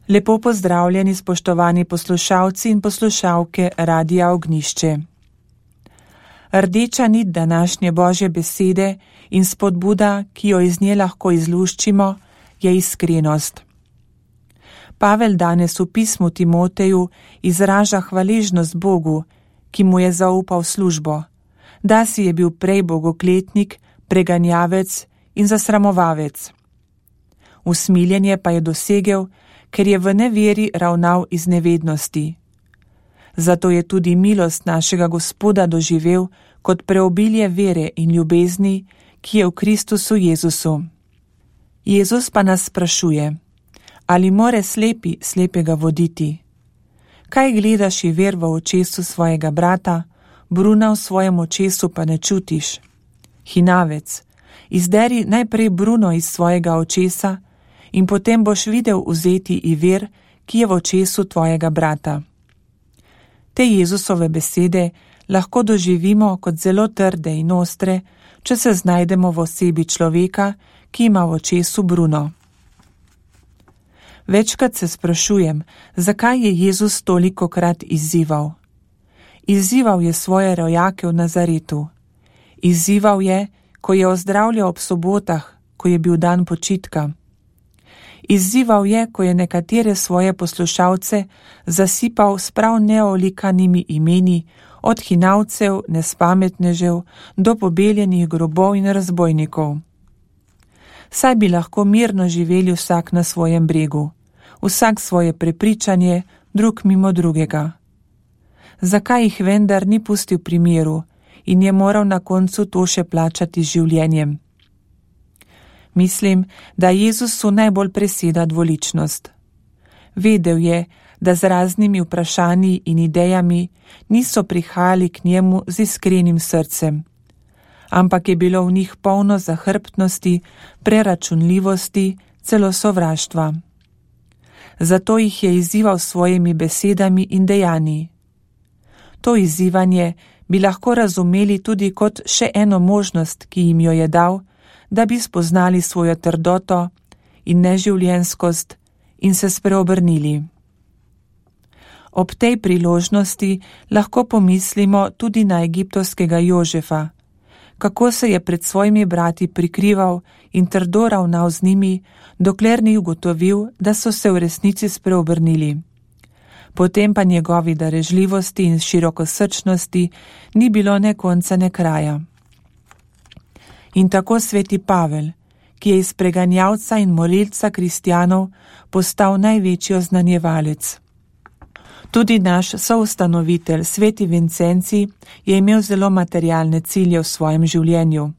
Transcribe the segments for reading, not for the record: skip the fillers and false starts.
Lepo pozdravljeni, spoštovani poslušalci in poslušalke Radia Ognjišče. Rdeča nit današnje Božje besede in spodbuda, ki jo iz nje lahko izluščimo, je iskrenost. Pavel danes v pismu Timoteju izraža hvaležnost Bogu, ki mu je zaupal službo, da si je bil prej bogokletnik, preganjavec in zasramovavec. Usmiljenje pa je dosegel, ker je v neveri ravnal iz nevednosti. Zato je tudi milost našega Gospoda doživel kot preobilje vere in ljubezni, ki je v Kristusu Jezusu. Jezus pa nas sprašuje, ali more slepi slepega voditi? Kaj gledaš i ver v očesu svojega brata, bruna v svojem očesu pa ne čutiš? Hinavec, izderi najprej bruno iz svojega očesa in potem boš videl vzeti i ver, ki je v očesu tvojega brata. Te Jezusove besede lahko doživimo kot zelo trde in ostre, če se znajdemo v osebi človeka, ki ima v očesu bruno. Večkrat se sprašujem, zakaj je Jezus tolikokrat izzival. Izzival je svoje rojake v Nazaretu. Izzival je, ko je ozdravljal ob sobotah, ko je bil dan počitka. Izzival je, ko je nekatere svoje poslušalce zasipal s prav neolikanimi imeni, od hinavcev, nespametnežev do pobeljenih grobov in razbojnikov. Saj bi lahko mirno živeli vsak na svojem bregu, vsak svoje prepričanje, drug mimo drugega. Zakaj jih vendar ni pustil pri miru in je moral na koncu to še plačati z življenjem? Mislim, da Jezusu najbolj preseda dvoličnost. Vedel je, da z raznimi vprašanji in idejami niso prihajali k njemu z iskrenim srcem, ampak je bilo v njih polno zahrbtnosti, preračunljivosti, celo sovraštva. Zato jih je izzival s svojimi besedami in dejanji. To izzivanje bi lahko razumeli tudi kot še eno možnost, ki jim jo je dal, da bi spoznali svojo trdoto in neživljenjskost in se spreobrnili. Ob tej priložnosti lahko pomislimo tudi na egiptovskega Jožefa, kako se je pred svojimi brati prikrival in trdo ravnal z njimi, dokler ni ugotovil, da so se v resnici spreobrnili. Potem pa njegovi darežljivosti in širokosrčnosti ni bilo ne konca ne kraja. In tako sveti Pavel, ki je iz preganjavca in molilca kristjanov postal največji oznanjevalec. Tudi naš soustanovitelj, sveti Vincenci, je imel zelo materialne cilje v svojem življenju,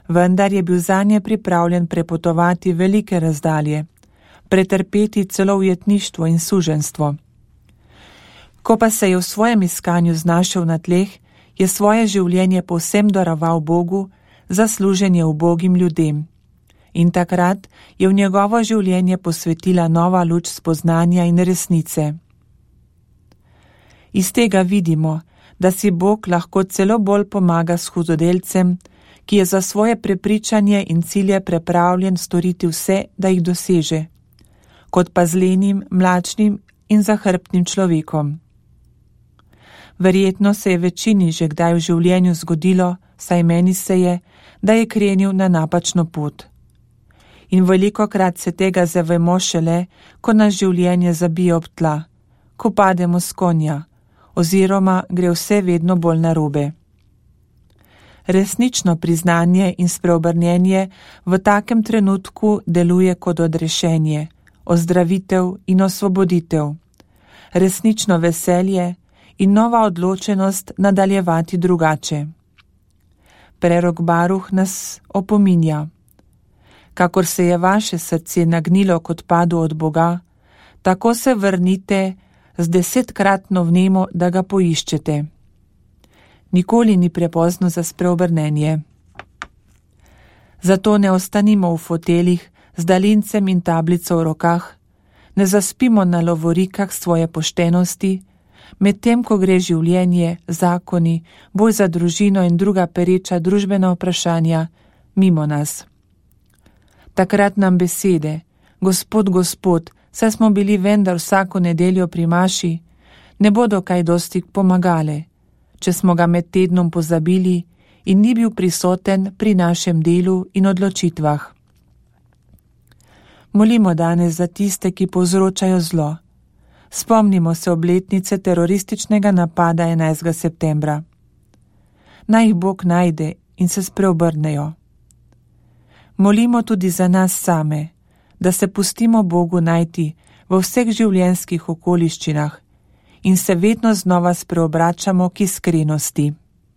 vendar je bil zanje pripravljen prepotovati velike razdalje, pretrpeti celo ujetništvo in suženjstvo. Ko pa se je v svojem iskanju znašel na tleh, je svoje življenje povsem daroval Bogu za služenje ubogim ljudem. In takrat je v njegovo življenje posvetila nova luč spoznanja in resnice. Iz tega vidimo, da si Bog lahko celo bolj pomaga s hudodelcem, ki je za svoje prepričanje in cilje pripravljen storiti vse, da jih doseže, kot pa z lenim, mlačnim in zahrbtnim človekom. Verjetno se je večini že kdaj v življenju zgodilo, saj meni se je, da je krenil na napačno pot. In velikokrat se tega zavemo šele, ko nas življenje zabije ob tla, ko pademo s konja, oziroma gre vse vedno bolj narobe. Resnično priznanje in spreobrnjenje v takem trenutku deluje kot odrešenje, ozdravitev in osvoboditev, resnično veselje in nova odločenost nadaljevati drugače. Prerok Baruh nas opominja: kakor se je vaše srce nagnilo k odpadu od Boga, tako se vrnite z 10-kratno vnemo, da ga poiščete. Nikoli ni prepozno za spreobrnenje. Zato ne ostanimo v foteljih z daljincem in tablico v rokah, ne zaspimo na lovorikah svoje poštenosti, medtem ko gre življenje, zakoni, boj za družino in druga pereča družbena vprašanja mimo nas. Takrat nam besede: Gospod, Gospod, saj smo bili vendar vsako nedeljo pri maši, ne bodo kaj dosti pomagale, če smo ga med tednom pozabili in ni bil prisoten pri našem delu in odločitvah. Molimo danes za tiste, ki povzročajo zlo. Spomnimo se obletnice terorističnega napada 11. septembra. Naj jih Bog najde in se spreobrnejo. Molimo tudi za nas same, da se pustimo Bogu najti v vseh življenjskih okoliščinah in se vedno znova spreobračamo k iskrenosti.